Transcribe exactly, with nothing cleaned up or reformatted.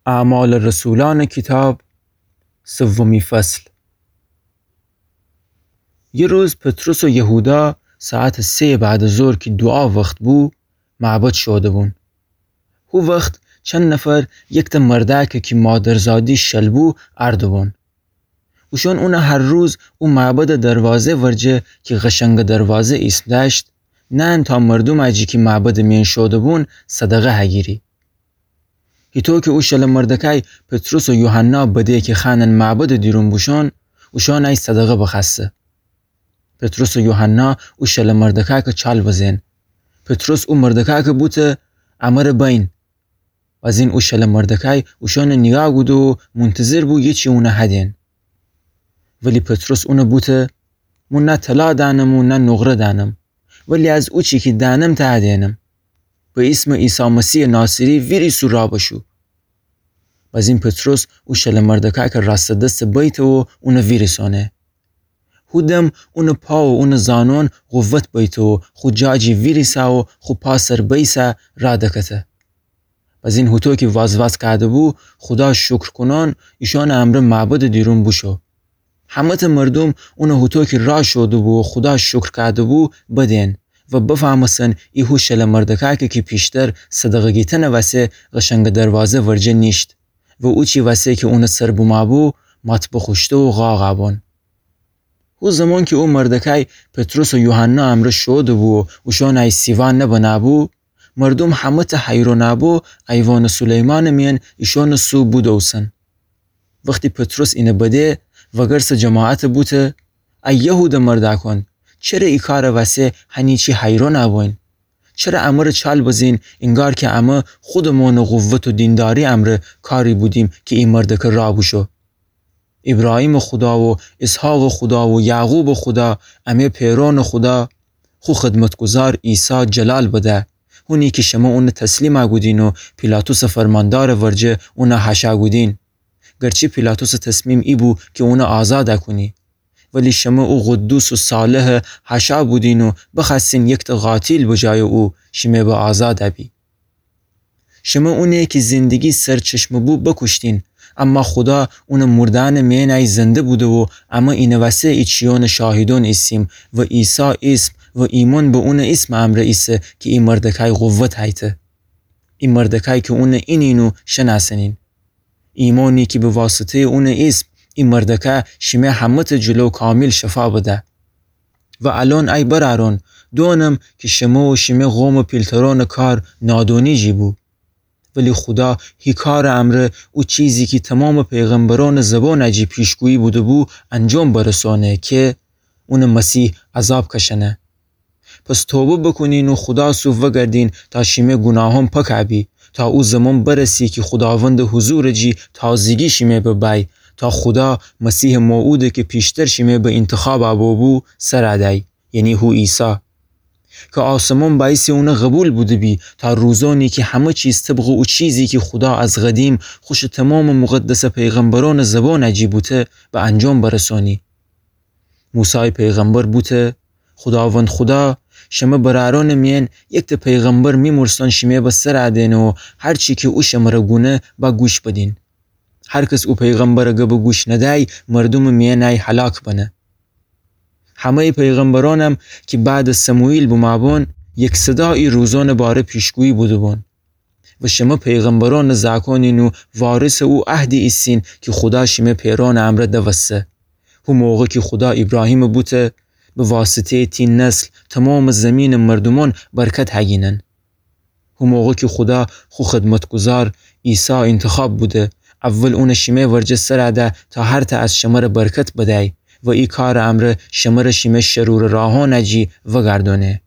اعمال رسولان کیتاب، سومی فصل. یه روز پطرس و یهودا ساعت سه بعد از ظهر کی دوعا وخت بو، معبد شوده‌بون. هو وخت چند نفر یکته مردأکه کی مادرزادی شل بو، ارده‌بون. اوشان اونه هر روز او معبدٚ دروازه ورجه کی قشنگٚ دروازه ایسم دأشت، نأن تا مردومأ جی کی معبدٚ میأن شوده‌بون صدقه هگیری. هیطو کی او شله مردکأی پطرس و یوحنا بده کی خوأنن معبدٚ دیرون بوشون، اوشان ای صدقه بخوأسته. پطرس و یوحنا او شله مردکأکه چال بزئن: پطرس او مردکأکه بوته: امره بین. بزین او شله مردکأی اوشانٚ نیگاه کوده و مونتظر بو ییچی اونه هدئن. ولی پطرس اونه بوته: مو نه طلا دأنم و نه نقره دأنم، ولی از اوچی کی دأنم ته هدئنم. به ایسمٚ عیسی مسیحٚ ناصری ویریس و راه بشو. بزین پطرس او شله مردکأکه راستٚ دسته بیته و اونه ویریسونه. هو دم اونٚ پا و اونٚ زانون قوت بیته و خو جا جی ویریسه و خو پا سر بیسه راه دکته. بزین هوطو کی وازواز کوده‌بو، خودا شکر کونان ایشانٚ امرأ معبدٚ دیرون بوشو. همه‌تأ مردوم اونه هوطو کی راه شوده‌بو و خودا شکر کوده‌بو بدئن و بفهمستن ای هو شله مردکأکه کی پیشتر صدقه گیتنٚ وسه قشنگٚ دروازه ورجه نیشت و اوچی وسه کی اونٚ سر بومه‌بو مات بخوشته و قاقأ بون. هو زمان کی او مردکأی پطرس و یوحنا امرأ شوده‌بو و اوشان ای سیوا نبنه‌بو، مردوم همه‌تأ حیرونأ بو ایوانٚ سلیمانٚ میأن ایشانٚ سو بودوسن. وختی پطرس اینه بده، وگرسٚ جماعته بوته: ای یهوده مردأکون، چره ای کارٚ وسه هنی چی حیرونأ بوین؟ چره امره چال بزین، اینگار کی امه خودمونٚ قوت و دینداری امرأ کاری بودیم کی ای مردکه راه بوشو؟ ایبراهیمٚ خودا و اسحاقٚ خودا و یعقوبٚ خودا، امه پئرونٚ خودا، خو خدمتگذار عیسی جلال بده، هونی کی شمه اونه تسلیمأ کودین و پیلاطسٚ فرماندارٚ ورجه اونه حاشا کودین. گرچی پیلاطسٚ تصمیم ای بو کی اونه آزادأ کونی، ولی شمه او قدوس و صالحه حاشا بودین و بخوأستین یکتأ قاتیل به جایٚ او شیمه به آزادأ بی. شمه اونه کی زندگی سرچشمه بو بکوشتین، اما خودا اونٚ مردأنٚ مئنأی زنده بوده و امه اینٚ وسه ای چیونٚ شاهیدون ایسیم و عیسی ایسم و ایمأن به اونٚ ایسمٚ امرأ ایسه کی ای مردکأی قوت هیته. ای مردکأی کی اونه اینین و شنأسنین. ایمأنی کی به واسطه‌یٚ اونٚ ایسم ای مردکه شیمه همه‌تأ جلو کامیل شفا بده. و الأن ای برأرون، دونم کی شمه و شیمه قومٚ پیلترونٚ کار نادونی جی بو. ولی خودا هی کارٚ امرأ او چیزی کی تومامٚ پیغمبرونٚ زبونأ جی پیشگویی بوده‌بو انجام برسونه کی اونٚ مسیح عذاب کشأنه. پس توبه بوکونین و خودا سو وگردین تا شیمه گوناهون پکأ بی، تا او زمان برسی کی خوداوندٚ حضورٚ جی تازگی شیمه ببأی، تا خودا مسیحٚ موعوده کی پیشتر شیمه به اینتخابأ بوبو سرأ دأی، یعنی هو عیسی. کی آسمون بأیسٚ اونه قبول بوده‌بی، تا روزونی کی همه چیز طبقٚ او چیزی کی خودا از قدیم خوشٚ تومامٚ مقدسٚ پیغمبرونٚ زبونأ جی بوته به انجام برسونی. موسای پیغمبر بوته: خوداوند خودا، شمه برأرونٚ مئن یکتأ پیغمبر میمرسون شیمه به سرأ دئن و هر چی کی او شمره گونه با گوش بدین. هر کس او پیغمبرٚ گبه گوش ندأی، مردومٚ مئنأی هلاک بنه. همه‌یٚ پیغمبرونم کی بعدٚ سموئیل بومأبون، یک صدا ای روزونٚ باره پیشگویی بوده‌بون. و شمه پیغمبرونٚ زأکونین و وارثٚ او عهدی ایسین کی خودا شیمه پئرونٚ امرأ دوسته. هو موقع کی خودا ایبراهیمٚ بوته: به واسطه‌یٚ تی نسل تومامٚ زیمینٚ مردومون برکت هگینن. هو موقع کی خودا خو خدمتگذار عیسی اینتخاب بوده، اول اونٚ شیمه ورجه سرأ ده تا هرتأ از شمره برکت بدأی و ای کارٚ امرأ شمره شیمه شرورٚ راهونأ جی وگردونه.